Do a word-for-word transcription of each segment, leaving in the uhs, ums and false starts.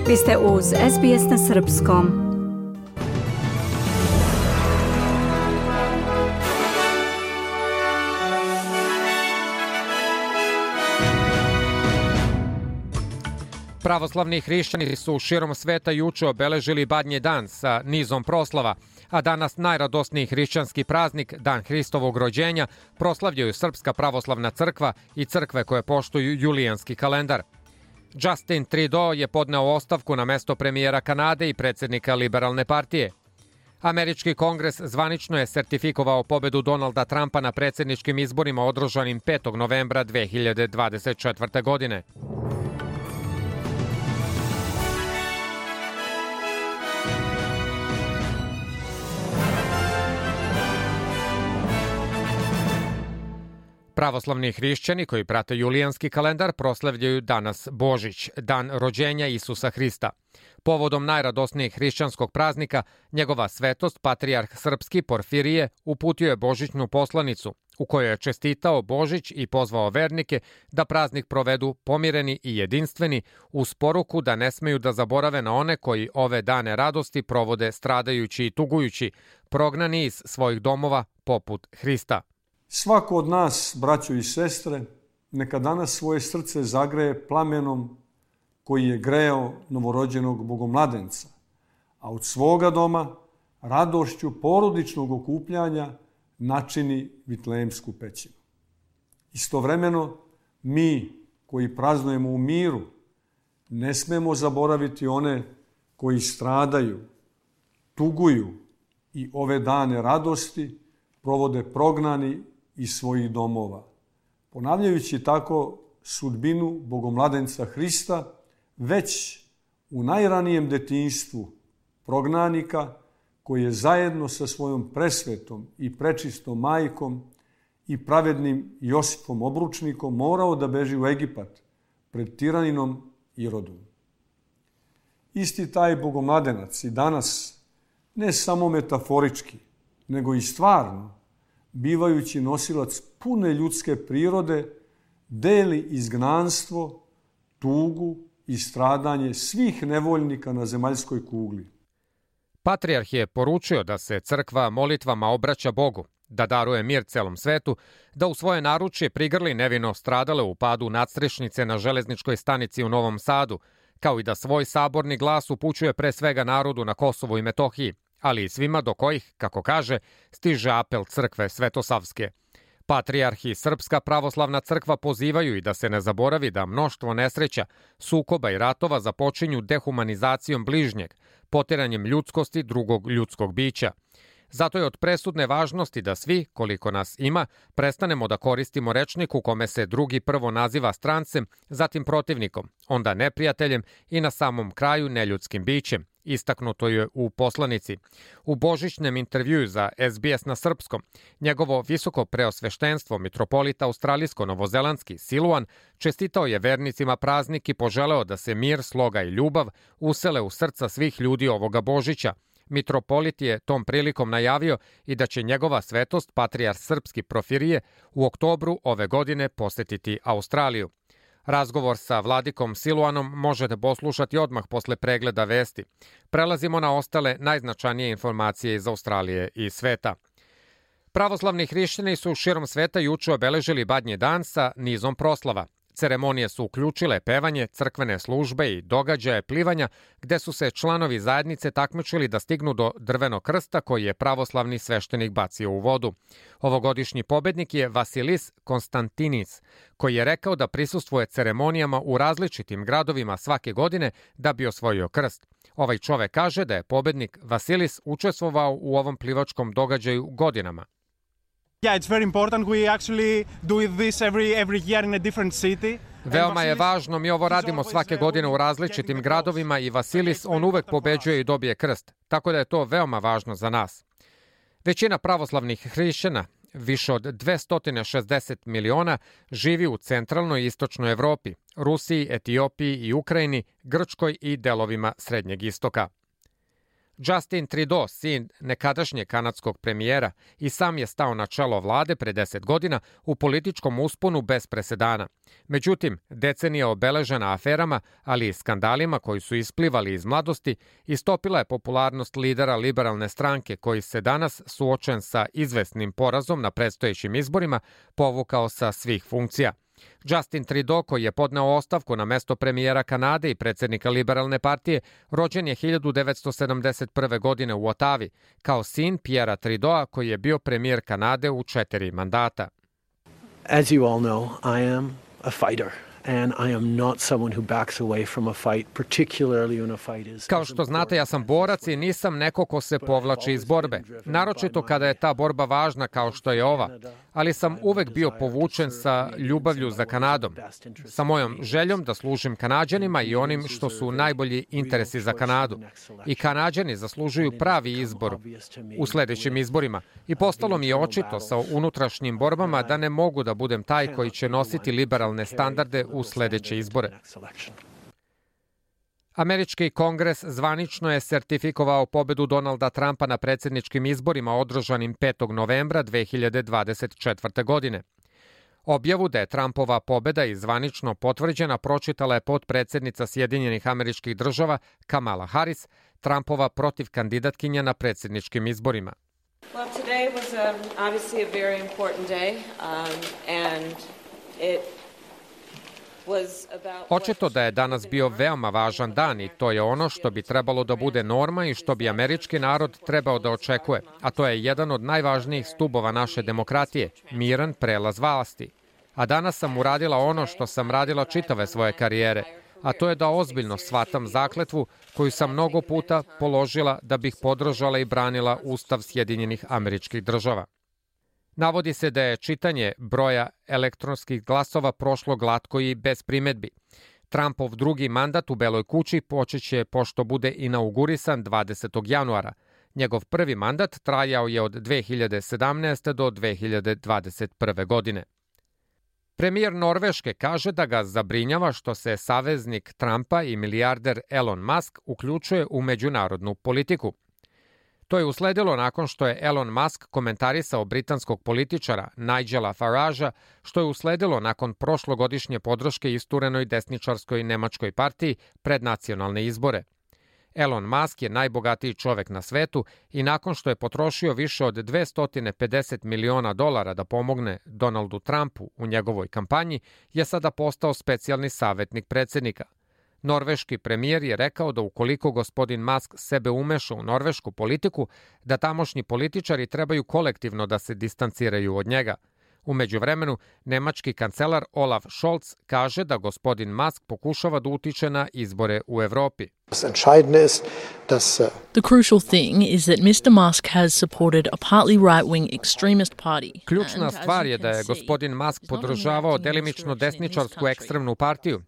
Vi ste uz S B S na srpskom. Pravoslavni hrišćani su širom sveta juče obeležili Badnji dan sa nizom proslava, a danas najradosniji hrišćanski praznik, Dan Hristovog rođenja, proslavljaju Srpska pravoslavna crkva i crkve koje poštuju julijanski kalendar. Justin Trudeau je podneo ostavku na mesto premijera Kanade i predsjednika Liberalne partije. Američki kongres zvanično je sertifikovao pobedu Donalda Trumpa na predsjedničkim izborima održanim petog novembra dve hiljade dvadeset četvrte. godine. Pravoslavni hrišćani koji prate julijanski kalendar proslavljaju danas Božić, dan rođenja Isusa Hrista. Povodom najradosnijeg hrišćanskog praznika, njegova svetost, patrijarh srpski Porfirije, uputio je božićnu poslanicu, u kojoj je čestitao Božić i pozvao vernike da praznik provedu pomireni i jedinstveni, uz poruku da ne smeju da zaborave na one koji ove dane radosti provode stradajući i tugujući, prognani iz svojih domova poput Hrista. Svako od nas, braćo i sestre, neka danas svoje srce zagreje plamenom koji je greo novorođenog bogomladenca, a od svoga doma radošću porodičnog okupljanja načini vitlejemsku pećinu. Istovremeno, mi koji praznujemo u miru, ne smemo zaboraviti one koji stradaju, tuguju i ove dane radosti provode prognani iz svojih domova, ponavljajući tako sudbinu bogomladenca Hrista već u najranijem detinjstvu prognanika koji je zajedno sa svojom presvetom i prečistom majkom i pravednim Josipom obručnikom morao da beži u Egipat pred tiraninom Irodom. Isti taj bogomladenac i danas, ne samo metaforički, nego i stvarno, bivajući nosilac pune ljudske prirode, deli izgnanstvo, tugu i stradanje svih nevoljnika na zemaljskoj kugli. Patrijarh je poručio da se crkva molitvama obraća Bogu, da daruje mir celom svetu, da u svoje naručje prigrli nevino stradale u padu nadstrešnice na železničkoj stanici u Novom Sadu, kao i da svoj saborni glas upućuje pre svega narodu na Kosovu i Metohiji, ali i svima do kojih, kako kaže, stiže apel crkve Svetosavske. Patrijarh i Srpska pravoslavna crkva pozivaju i da se ne zaboravi da mnoštvo nesreća, sukoba i ratova započinju dehumanizacijom bližnjeg, potiranjem ljudskosti drugog ljudskog bića. Zato je od presudne važnosti da svi, koliko nas ima, prestanemo da koristimo rečnik u kome se drugi prvo naziva strancem, zatim protivnikom, onda neprijateljem i na samom kraju neljudskim bićem. Istaknuto je u poslanici. U božićnem intervjuu za S B S na srpskom, njegovo visoko preosveštenstvo mitropolita australijsko-novozelandski Siluan čestitao je vernicima praznik i poželeo da se mir, sloga i ljubav usele u srca svih ljudi ovoga Božića. Mitropolit je tom prilikom najavio i da će njegova svetost, patrijarh srpski Porfirije, u oktobru ove godine posetiti Australiju. Razgovor sa vladikom Siluanom možete poslušati odmah posle pregleda vesti. Prelazimo na ostale najznačajnije informacije iz Australije i sveta. Pravoslavni hrišćani su širom sveta juče obeležili Badnji dan sa nizom proslava. Ceremonije su uključile pevanje, crkvene službe i događaje plivanja, gde su se članovi zajednice takmičili da stignu do drvenog krsta koji je pravoslavni sveštenik bacio u vodu. Ovogodišnji pobednik je Vasilis Konstantinis, koji je rekao da prisustvuje ceremonijama u različitim gradovima svake godine da bi osvojio krst. Ovaj čovek kaže da je pobednik Vasilis učestvovao u ovom plivačkom događaju godinama. Yeah, it's very important. We actually do this every every year in a different city. Veoma je važno, mi ovo radimo svake godine u različitim gradovima i Vasilis, on uvek pobeđuje i dobije krst, tako da je to veoma važno za nas. Većina pravoslavnih hrišćana, više od dvesta šezdeset miliona, živi u centralnoj i istočnoj Evropi, Rusiji, Etiopiji i Ukrajini, Grčkoj i delovima Srednjeg istoka. Justin Trudeau, sin nekadašnjeg kanadskog premijera, i sam je stao na čelo vlade pre deset godina u političkom usponu bez presedana. Međutim, decenija obeležena aferama, ali i skandalima koji su isplivali iz mladosti, istopila je popularnost lidera liberalne stranke koji se danas, suočen sa izvesnim porazom na predstojećim izborima, povukao sa svih funkcija. Justin Trudeau, koji je podneo ostavku na mesto premijera Kanade i predsjednika liberalne partije, rođen je hiljadu devetsto sedamdeset prve. godine u Otavi, kao sin Pierrea Trudeau, koji je bio premijer Kanade u četiri mandata. As you all know, I am a fighter. And I am not someone who backs away from a fight, particularly when a fight is... Kao što znate, ja sam borac i nisam neko ko se povlači iz borbe. Naročito kada je ta borba važna kao što je ova. Ali sam uvek bio povučen sa ljubavlju za Kanadom. Sa mojom željom da služim Kanađanima i onim što su najbolji interesi za Kanadu. I Kanađani zaslužuju pravi izbor u sledećim izborima. I postalo mi je očito sa unutrašnjim borbama da ne mogu da budem taj koji će nositi liberalne standarde u sledeće izbore. Američki kongres zvanično je sertifikovao pobedu Donalda Trumpa na predsjedničkim izborima održanim petog novembra dve hiljade dvadeset četvrte. godine. Objavu da je Trumpova pobeda i zvanično potvrđena pročitala je potpredsjednica Sjedinjenih Američkih Država Kamala Harris, Trumpova protivkandidatkinja na predsjedničkim izborima. Well, today was um, obviously a very important day, um, and it Očito da je danas bio veoma važan dan i to je ono što bi trebalo da bude norma i što bi američki narod trebao da očekuje, a to je jedan od najvažnijih stubova naše demokratije, miran prelaz vlasti. A danas sam uradila ono što sam radila čitave svoje karijere, a to je da ozbiljno shvatam zakletvu koju sam mnogo puta položila da bih podržala i branila Ustav Sjedinjenih Američkih Država. Navodi se da je čitanje broja elektronskih glasova prošlo glatko i bez primedbi. Trumpov drugi mandat u Beloj kući počeće pošto bude inaugurisan dvadesetog januara. Njegov prvi mandat trajao je od dve hiljade sedamnaeste. do dve hiljade dvadeset prve. godine. Premijer Norveške kaže da ga zabrinjava što se saveznik Trumpa i milijarder Elon Musk uključuje u međunarodnu politiku. To je usledilo nakon što je Elon Musk komentarisao britanskog političara Nigela Faragea, što je usledilo nakon prošlogodišnje podrške isturenoj desničarskoj nemačkoj partiji pred nacionalne izbore. Elon Musk je najbogatiji čovek na svetu i nakon što je potrošio više od dvesta pedeset miliona dolara da pomogne Donaldu Trumpu u njegovoj kampanji, je sada postao specijalni savjetnik predsjednika. Norveški premijer je rekao da ukoliko gospodin Musk sebe umeša u norvešku politiku, da tamošnji političari trebaju kolektivno da se distanciraju od njega. U međuvremenu, nemački kancelar Olaf Scholz kaže da gospodin Musk pokušava da utiče na izbore u Evropi. The crucial thing is that mister Musk has supported a partly right-wing extremist party. Ključna stvar je da je gospodin Musk podržavao delimično desničarsku ekstremnu partiju.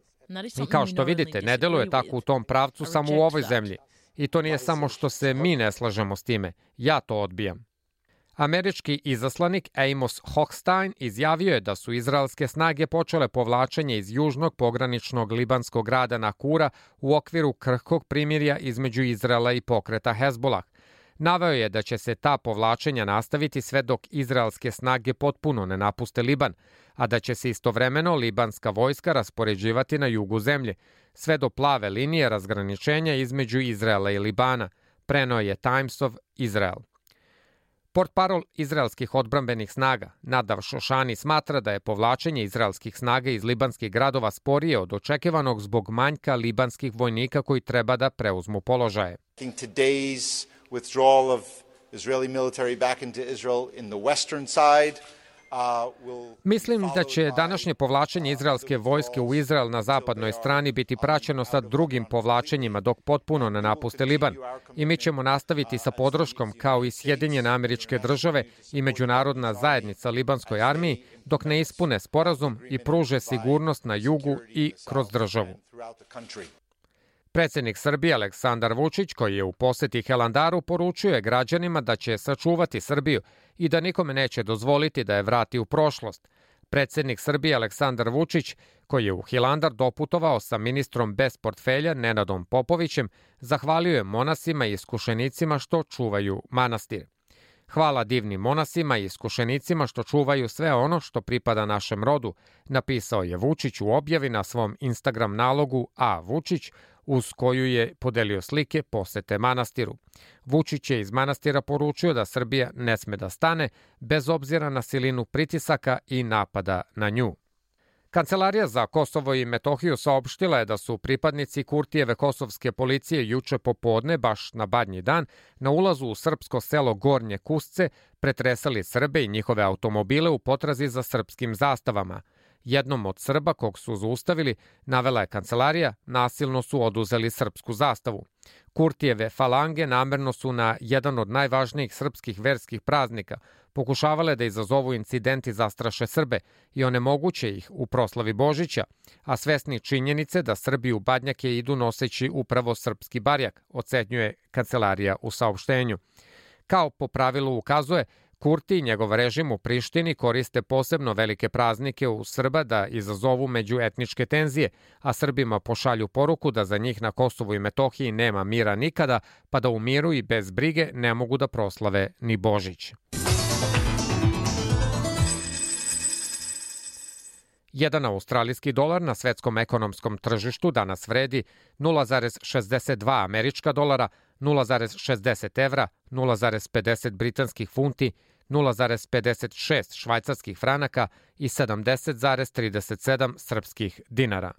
I kao što vidite, ne deluje tako u tom pravcu samo u ovoj zemlji. I to nije samo što se mi ne slažemo s time. Ja to odbijam. Američki izaslanik Amos Hochstein izjavio je da su izraelske snage počele povlačenje iz južnog pograničnog libanskog grada Nakura u okviru krhkog primirja između Izraela i pokreta Hezbolah. Naveo je da će se ta povlačenja nastaviti sve dok izraelske snage potpuno ne napuste Liban, a da će se istovremeno libanska vojska raspoređivati na jugu zemlje, sve do plave linije razgraničenja između Izraela i Libana, preneo je Times of Israel. Portparol izraelskih odbrambenih snaga, Nadav Šošani, smatra da je povlačenje izraelskih snaga iz libanskih gradova sporije od očekivanog zbog manjka libanskih vojnika koji treba da preuzmu položaje. Today's withdrawal of Israeli military back into Israel in the western side Mislim da će današnje povlačenje izraelske vojske u Izrael na zapadnoj strani biti praćeno sa drugim povlačenjima dok potpuno ne napuste Liban. I mi ćemo nastaviti sa podrškom kao i Sjedinjene Američke Države i međunarodna zajednica libanskoj armiji dok ne ispune sporazum i pruže sigurnost na jugu i kroz državu. Predsjednik Srbije Aleksandar Vučić, koji je u poseti Hilandaru, poručio je građanima da će sačuvati Srbiju i da nikome neće dozvoliti da je vrati u prošlost. Predsednik Srbije Aleksandar Vučić, koji je u Hilandar doputovao sa ministrom bez portfelja Nenadom Popovićem, zahvalio je monasima i iskušenicima što čuvaju manastir. Hvala divnim monasima i iskušenicima što čuvaju sve ono što pripada našem rodu, napisao je Vučić u objavi na svom Instagram nalogu A. Vučić, uz koju je podelio slike posete manastiru. Vučić je iz manastira poručio da Srbija ne sme da stane, bez obzira na silinu pritisaka i napada na nju. Kancelarija za Kosovo i Metohiju saopštila je da su pripadnici Kurtijeve kosovske policije juče popodne, baš na Badnji dan, na ulazu u srpsko selo Gornje Kusce pretresali Srbe i njihove automobile u potrazi za srpskim zastavama. Jednom od Srba kog su zaustavili, navela je kancelarija, nasilno su oduzeli srpsku zastavu. Kurtijeve falange namerno su na jedan od najvažnijih srpskih verskih praznika pokušavale da izazovu incident i zastraše Srbe i onemoguće ih u proslavi Božića, a svesni činjenice da Srbi u Badnjake idu noseći upravo srpski barjak, ocenjuje kancelarija u saopštenju. Kao po pravilu ukazuje, Kurti i njegov režim u Prištini koriste posebno velike praznike u Srba da izazovu međuetničke tenzije, a Srbima pošalju poruku da za njih na Kosovu i Metohiji nema mira nikada, pa da u miru i bez brige ne mogu da proslave ni Božić. Jedan australijski dolar na svetskom ekonomskom tržištu danas vredi nula zarez šezdeset dva američka dolara, nula zarez šezdeset evra, nula zarez pedeset britanskih funti, nula zarez pedeset šest švajcarskih franaka i sedamdeset zarez trideset sedam srpskih dinara.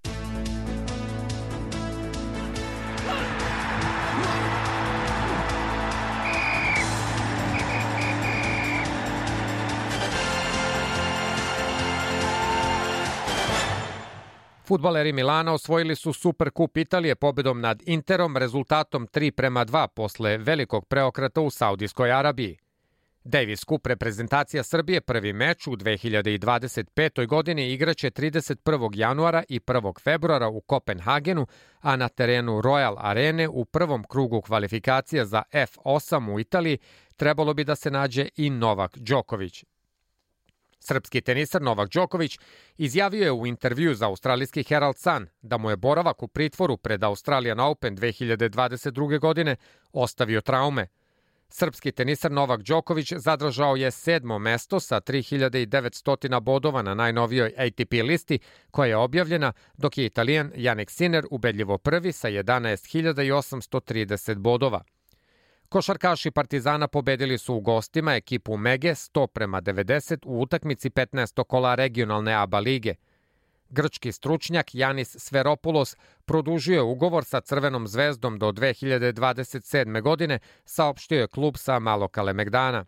Fudbaleri Milana osvojili su Superkup Italije pobedom nad Interom rezultatom tri prema dva posle velikog preokreta u Saudijskoj Arabiji. Davis Cup reprezentacija Srbije prvi meč u dve hiljade dvadeset petoj godini igraće trideset prvog januara i prvog februara u Kopenhagenu, a na terenu Royal Arene u prvom krugu kvalifikacija za F osam u Italiji trebalo bi da se nađe i Novak Đoković. Srpski tenisar Novak Đoković izjavio je u intervju za australijski Herald Sun da mu je boravak u pritvoru pred Australian Open dve hiljade dvadeset druge. godine ostavio traume. Srpski tenisar Novak Đoković zadržao je sedmo mesto sa tri hiljade devetsto bodova na najnovijoj A T P listi koja je objavljena, dok je Italijan Jannik Sinner ubedljivo prvi sa jedanaest hiljada osamsto trideset bodova. Košarkaši Partizana pobedili su u gostima ekipu Mege sto prema devedeset u utakmici petnaestog kola regionalne A B A lige. Grčki stručnjak Janis Sferopoulos produžio je ugovor sa Crvenom zvezdom do dve hiljade dvadeset sedme. godine, saopštio je klub sa Malog Kalemegdana.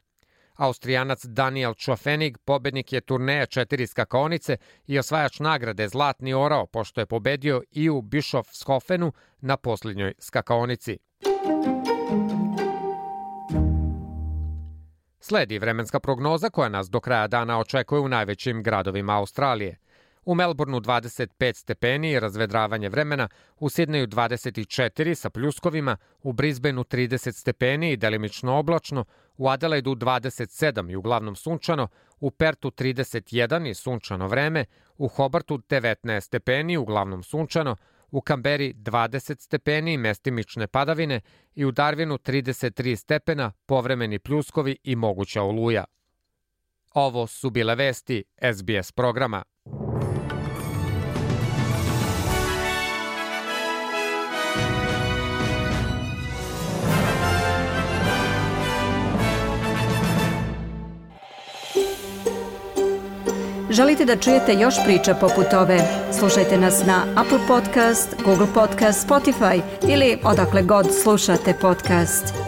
Austrijanac Daniel Čofenig pobednik je turneja četiri skakaonice i osvajač nagrade Zlatni orao, pošto je pobedio i u Bischofshofenu na posljednjoj skakaonici. Sledi vremenska prognoza koja nas do kraja dana očekuje u najvećim gradovima Australije. U Melbourneu dvadeset pet stepeni i razvedravanje vremena, u Sidneju dvadeset četiri sa pljuskovima, u Brisbaneu trideset stepeni i delimično oblačno, u Adelaidu dvadeset sedam i uglavnom sunčano, u Pertu trideset jedan i sunčano vreme, u Hobartu devetnaest stepeni i uglavnom sunčano, u Kamberi dvadeset stepeni i mestimične padavine i u Darwinu trideset tri stepena, povremeni pljuskovi i moguća oluja. Ovo su bile vesti S B S programa. Želite da čujete još priča poput ove? Slušajte nas na Apple Podcast, Google Podcast, Spotify ili odakle god slušate podcast.